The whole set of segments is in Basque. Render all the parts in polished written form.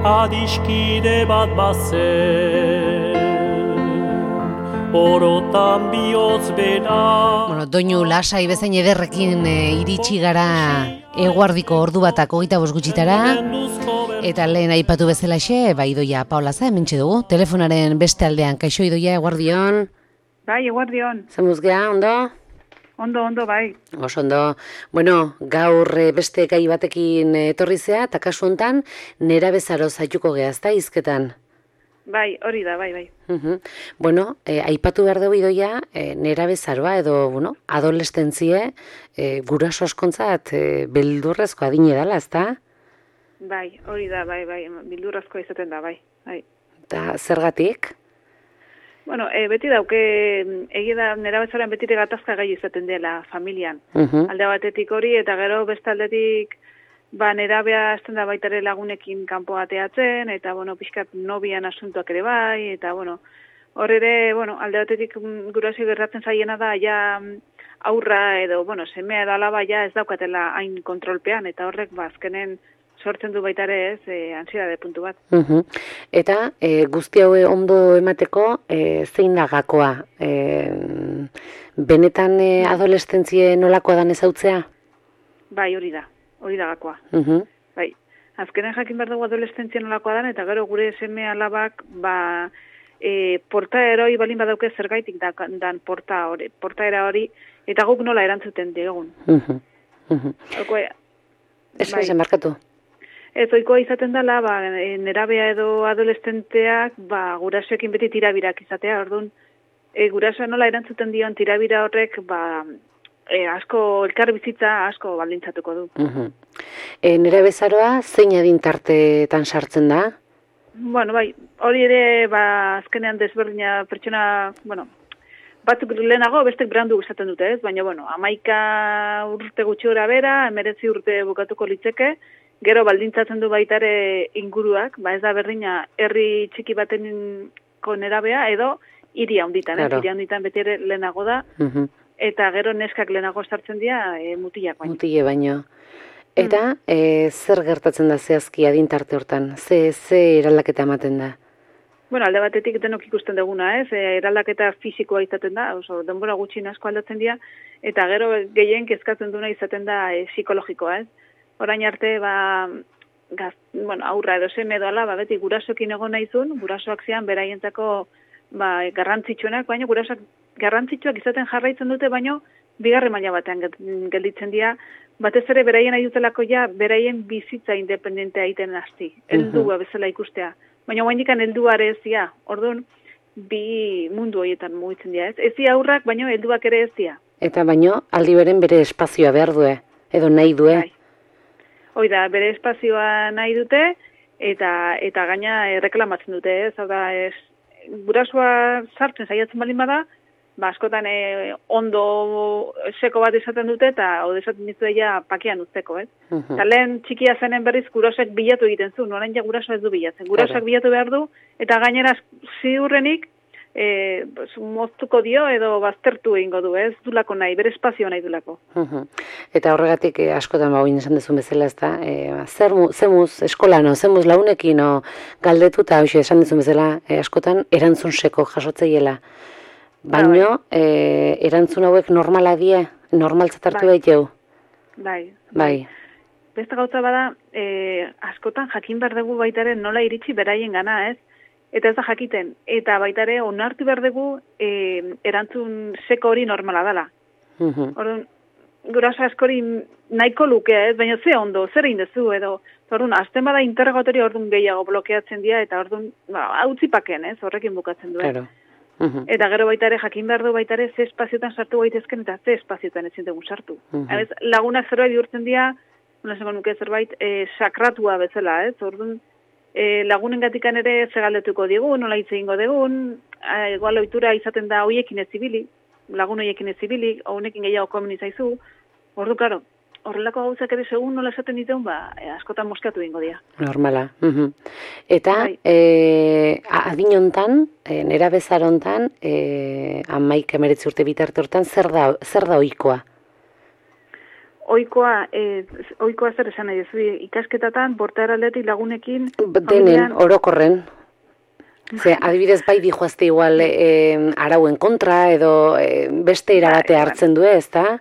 adiskide bat bazen, orotan bihotz bera. Bueno, doinu lasai bezain ederrekin iritsi gara eguardiko ordu batak 25 gutxitara, eta lehen aipatu bezalaxe, Idoia Paolaza hementxe dugu, telefonaren beste aldean. Kaixo Idoia, eguardion? Bai, eguardion. Zemuzgea, ondo? Ondo, bai. Oso ondo. Bueno, gaur beste gai batekin etorri zea, eta kasu hontan nerabezaro zaituko gehazta hizketan. Bai, hori da, bai. Bueno, aipatu behar dugu Idoia, nerabezaroa edo, bueno, adolescentzie, guraso askontzat beldurrezko adine dela, ezta? Bai, hori da, bai, beldurrezkoa izaten da, bai. Eta zergatik? Bueno, beti dauke, egia da nerabezaroan betire gatazka gai izaten dela familian. Alde batetik hori, eta gero beste aldetik, nerabea azten da baitare lagunekin kanpo ateatzen, eta, pixkat nobian asuntuak ere bai, eta, hor ere, alde batetik guraso gertatzen zaiena da, ja aurra edo, semea edo alaba ja ez daukatela hain kontrolpean, eta horrek, azkenen sortzen du baitare ez, ansiedade puntu bat. Eta guzti hau ondo emateko, zein da gakoa? Benetan adolescentzie nolakoa dan ezautzea? Bai, hori da gakoa. Bai, azkenen jakin behar dugu adolescentzia nolakoa dan, eta gero gure seme alabak, portaeroi balin badauke zergaitik dan portaera hori, eta guk nola erantzuten diegun. Ez markatu. Ez ohikoa izaten dela, nerabea edo adolescenteak, gurasoekin beti tirabirak izatea, orduan, gurasoa nola erantzuten dion tirabira horrek, asko, elkar bizitza asko baldintzatuko du. Nerabezaroa zein adintartetan sartzen da? Bai, hori ere, azkenean desberdina pertsona, batzuk lehenago, bestek berandu izaten dute, ez? Baina, 11 urte gutxi gora bera, 19 urte bukatuko litzeke, gero baldintzatzen du baitare inguruak, ez da berdina herri txiki batenko nerabea, edo hiri handitan, hiri handitan beti ere lehenago da, eta gero neskak lehenago sartzen dira mutilak baino. Mutile baino. Eta zer gertatzen da zehazki adintarte hortan? Ze eraldaketa ematen da? Alde batetik denok ikusten duguna, ez? Eraldaketa fisikoa izaten da, denbora gutxi asko aldatzen dira, eta gero gehien kezkatzen duna izaten da psikologikoa, ez? Orain arte, aurra edo seme edo ala, beti gurasoekin egon nahizun, gurasoak zian beraientzako garrantzitsuenak, baina gurasoak garrantzitsuak izaten jarraitzen dute, baina bigarren maila batean gelditzen dira, batez ere beraien nahi dutelako beraien bizitza independentea egiten hasti, heldua bezala ikustea. Baina guaindikan helduare ez dira, orduan, bi mundu horietan mugitzen dira, ez? Ez dira aurrak, baina helduak ere ez dira. Eta baina aldi beren bere espazioa behar due, edo nahi due. Hoi da, bere espazioa nahi dute, eta gaina reklamatzen dute, ez? Hau da, gurasoa sartzen saiatzen balin bada, askotan ondo seko bat izaten dute, eta hau esaten ditu pakean uzteko, ez? Eta lehen txikia zenen berriz gurasoak bilatu egiten zu, orain gurasoa ez du bilatzen. Gurasoak bilatu behar du, eta gainera ziurrenik moztuko dio edo baztertu egingo du, ez dulako nahi, bere espazio nahi dulako. Eta horregatik askotan bagoin esan dezun bezala, ez da, zemuz eskolan, zemuz launekin, galdetu, eta esan dezun bezala, askotan erantzun seko jasotzeiela. Baina, erantzun hauek normala die, normaltzat hartu daiteu? Bai. Beste gauza bada, askotan jakin behar dugu baitaren nola iritsi beraien gana, ez? Eta ez da jakiten, eta baitare onartu behar dugu erantzun seko hori normala dela. Orduan, guraso askori nahiko lukea, ez? Baina ze ondo, zer egin duzu, edo, orduan, azten bada interrogatorio orduan gehiago blokeatzen dira, eta orduan, utzipaken, ez? Horrekin bukatzen duen. Eta gero baitare jakin behar du baitare ze espaziotan sartu gaitezken, eta ze espaziotan ezin dugu sartu. Lagunak zerbait bihurtzen dira, esango nuke zerbait, sakratua bezala, ez? Orduan, lagunen gatikan ere zegaldetuko digun, nola hitz egingo digun, igual ohitura izaten da hoiekin ez zibili, lagun hoiekin ez zibili, honekin gehiago komeni zaizu, ordu, klaro, horrelako gauzak ere segun nola esaten dituen, askotan moskatu egingo dira. Normala. Eta, adin hontan, nerabezar hontan, 11-19 urte bitarte hortan, zer da ohikoa? oikoa zer esan nahi duzu, ikasketatan, portaeraldetik lagunekin, Denen, orokorren. Ze, adibidez bai dijoazte igual arauen kontra edo beste irabate hartzen du, ezta?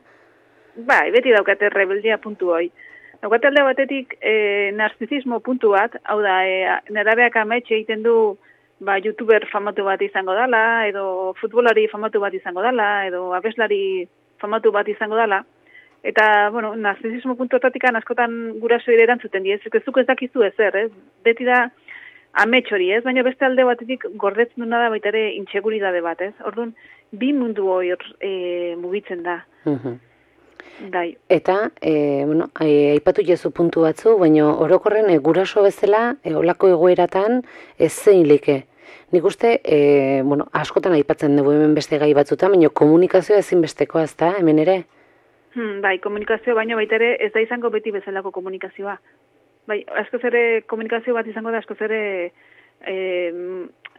Bai, beti daukate rebeldia puntu hoi. Daukate alde batetik narzizismo puntu bat, hau da, nerabeak ametxe egiten du youtuber famatu bat izango dela, edo futbolari famatu bat izango dela, edo abeslari famatu bat izango dela. Eta, bueno, narzizismo puntuetatik askotan guraso ere erantzuten diez, zuk ez dakizu ezer, ez? Beti da amets hori, ez? Baina beste alde batetik gordetzen duna da baita ere intseguridade bat, ez? Orduan, bi mundu hori mugitzen da. Dai. Eta, bueno, aipatu jezu puntu batzu, baina orokorren guraso bezala, olako egoeratan ez zein like. Nik uste, bueno, askotan aipatzen dugu hemen beste gai batzuta, baina komunikazioa ezinbestekoa, ez da, hemen ere? Bai, komunikazio baino baita ere ez da izango beti bezalako komunikazioa. Bai, askoz ere komunikazio bat izango da, askoz ere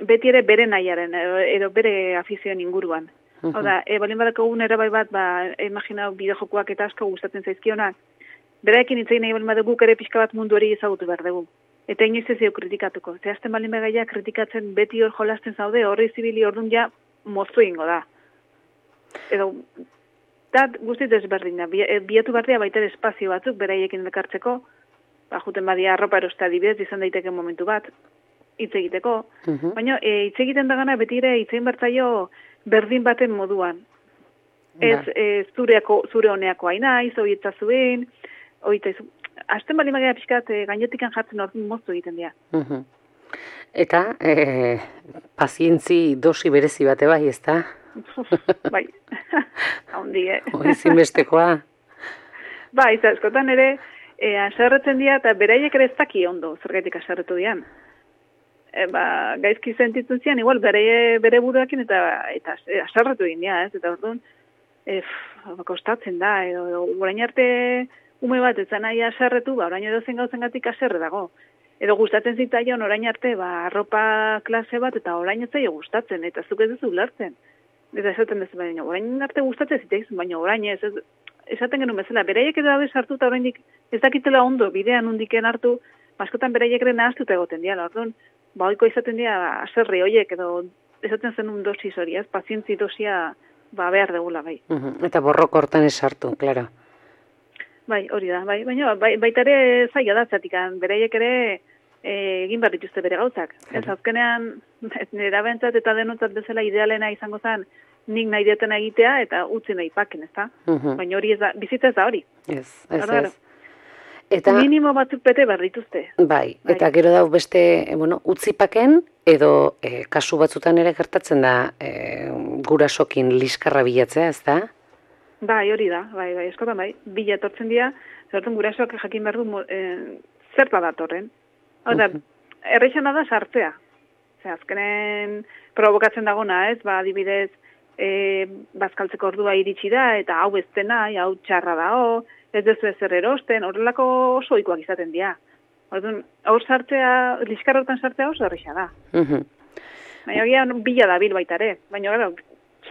beti ere bere nahiaren, edo bere afizioen inguruan. Hau da, balin badako bai bat, imaginau bideojokoak eta asko gustatzen zaizkionak, beraekin hitz egin nahi balin badugu ere pixka bat mundu hori ezagutu behar dugu. Eta inoiz ez kritikatuko. Zehazten balin begaia kritikatzen beti hor jolasten zaude, horri zibili orduan ja moztu ingo da. Edo, guztiz desberdina. Biatu barria baita espazio batzuk beraiekin dekartzeko, juten badia arropa erosta adibidez, izan daiteke momentu bat, hitz egiteko. Baina hitz egiten dagana beti ere hitz egin bertzaio berdin baten moduan. Ez zure honeako haina, izoietza zuen, hasten bali magia pixkat gainotikan jartzen orduan moztu egiten dira. Eta, pazientzi dosi berezi bate bai, ez da? Bai, haundi, Zinbestekoa. Bai, askotan ere, aserretzen dira, eta beraiek ere ez daki ondo, zergaitik aserretu dian. Gaizki sentitzen zian, igual, bere buruakin eta aserretu egin dira, ez? Eta orduan, kostatzen da, edo orain arte ume bat ez nahi aserretu, orain edo zen gauzen gatik aserre dago. Edo gustatzen zitaion orain arte, arropa klase bat, eta orain ez zaio gustatzen, eta zuk ez duzu ulertzen. Eta esaten dezu, baina orain arte gustatzen ziteizun, baina orain ez esaten genuen bezala. Beraiek edo dabe sartu eta orain ez dakitela ondo bidean undiken hartu, askotan beraiek ere nahaztuta egoten diala. Orduan, oiko izaten dira aserri horiek, edo esaten zen dosis hori, ez? Pazientzi dosia behar degula, bai. Eta borroko hortan ez sartu, klaro. Bai, hori da, bai. Baina baita ere zaila da, zatikan, beraiek ere egin behar dituzte bere gauzak. Ez azkenean, nera bentzat eta denotzat bezala idealena izango zen, nik nahi detena egitea eta utzi nahi paken, ez da? Baina hori ez da, bizitza ez da hori. Ez. Eta, minimo batzuk bete behar dituzte. Bai, eta gero dau beste, utzi paken, edo kasu batzutan ere gertatzen da gurasokin liskarra bilatzea, ez da? Bai, hori da, bai, eskotan bai, bila etortzen dira, zertun gurasoak jakin behar du zerta datorren. Hau da, erreixana da sartzea. Azkenen provokatzen dagona, ez? Adibidez, bazkaltzeko ordua iritsi da, eta hau ez dena, hau txarra da, ez dezu ezer erosten, horrelako oso ohikoak izaten dira. Orduan, hor sartzea, liskarrotan sartzea oso erreixa da. Baina bila da bil baita ere. Baina, gara,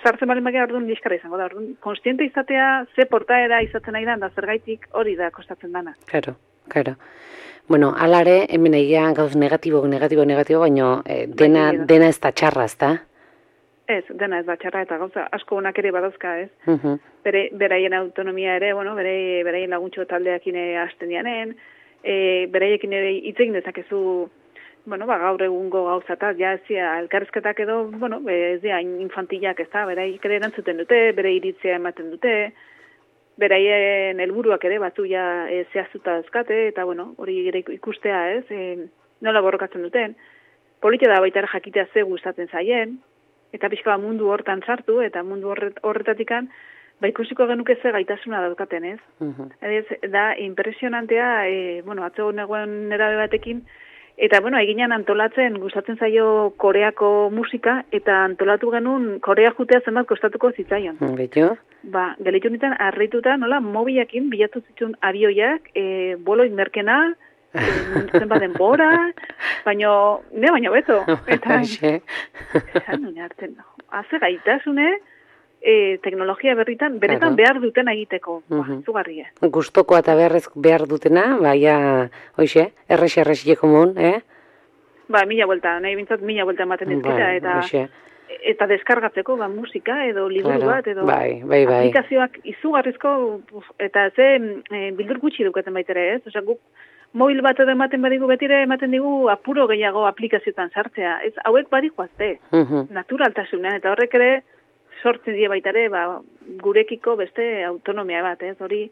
sartzen balen baina orduan liskarra izango da. Orduan, konstiente izatea, ze portaera izaten nahi da, da zergaitik hori da kostatzen dana. Claro. Bueno, alare, hemen egia gauz negatibo, baina dena ez da txarra, ez da? Ez, dena ez da txarra, eta gauza asko onak ere badazka, ez? Beraien autonomia ere, beraien laguntxo taldeakin hasten dianen, beraiekin ere hitz egin dezakezu, gaur egungo gauzataz, ja ez dira, elkarrizketak edo, ez dira infantilak, ez da, beraik ere erantzuten dute, bere iritzia ematen dute, beraien helburuak ere batzu ja zehaztuta dazkate, eta hori ikustea, ez, nola borrokatzen duten, politia da baita jakitea ze gustatzen zaien, eta pixka mundu hortan sartu, eta mundu horretatikan, ikusiko genuke ze gaitasuna daukaten, ez? Da, impresionantea, atzo negoen nerabe batekin, eta, eginan antolatzen, gustatzen zaio Koreako musika, eta antolatu genuen Korea jutea zenbat kostatuko zitzaion. Beto? Gelitu nintzen, arrituta, nola, mobiakin bilatu zituen abioiak, bolo inmerkena, zenbat denbora, baina beto. Eta, haze gaitasune, teknologia berritan, benetan behar duten egiteko. Zugarria. Gustokoa eta behar dutena, baina, hoxe, errex komun, Ba, 1000 buelta, nahi bintzat 1000 buelta ematen dizkita, eta deskargatzeko, musika, edo liburu bat, edo aplikazioak izugarrizko, eta bildur gutxi dukaten baitere, ez? Osa, guk mobil bat edo ematen badigu betire, ematen digu apuro gehiago aplikazioetan sartzea. Ez, hauek badikoazte, naturaltasunean, eta horrek ere sortzen die baitare, gurekiko beste autonomia bat, ez? Hori,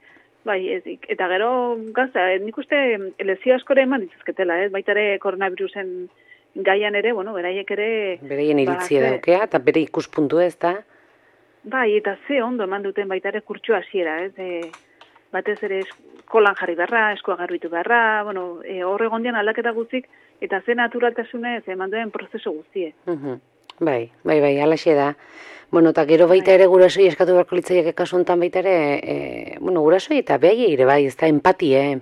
eta gero, gazta, nik uste lezio askore eman ditzazketela, ez? Baitare koronavirusen gaian ere, beraiek ere... Bereien iritzia daukea, eta bere ikuspuntu ez da? Eta ze ondo eman duten baitare kurtsu hasiera, ez? Batez ere eskolan jarri beharra, eskoa garbitu beharra, horre gondian aldaketa guztik, eta ze naturaltasunez eman duen prozesu guztie. Bai, alaxe da. Eta gero baita ere gurasoi eskatu beharko litzaiak kasu honetan baita ere, gurasoi eta behai ere bai, ez da empatie.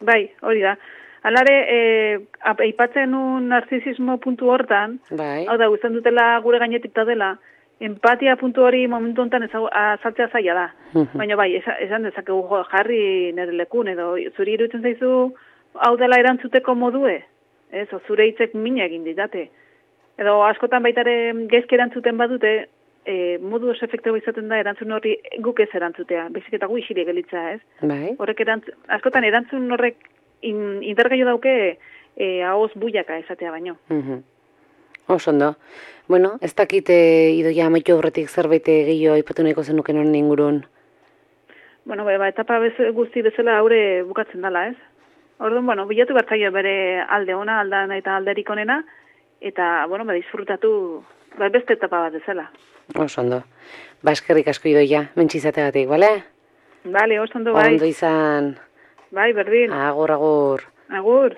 Bai, hori da. Alare, aipatzen un narzisismo puntu hortan, hau da, guztan dutela gure gainetik da dela, empatia puntu hori momentu honetan azaltzea zaila da. Baina bai, esan dezakegu jarri nire lekun, edo zuri iruditzen zaizu, hau dela erantzuteko modue, ez, zure hitzek mina egin ditate. Edo askotan baitare gezke erantzuten badute, modu oso efektibo izaten da erantzun horri guk ez erantzutea, bezik eta gu isirik gelitza, ez? Horrek askotan erantzun horrek intergaio dauke ahoz buiaka esatea baino. Osondo. Ez dakit Idoia amaitu horretik zerbait gehiago aipatu nahiko zenuken honen ingurun. Etapa guzti bezala haure bukatzen dela, ez? Orduan, bilatu bertzaio bere alde ona, aldan eta alderik onena, eta, disfrutatu beste etapa bat bezala. Osondo. Eskerrik asko Idoia, mentxizategatik, bale? Bale, osondo bai. Ondo izan. Bai, berdin. Agur. Agur.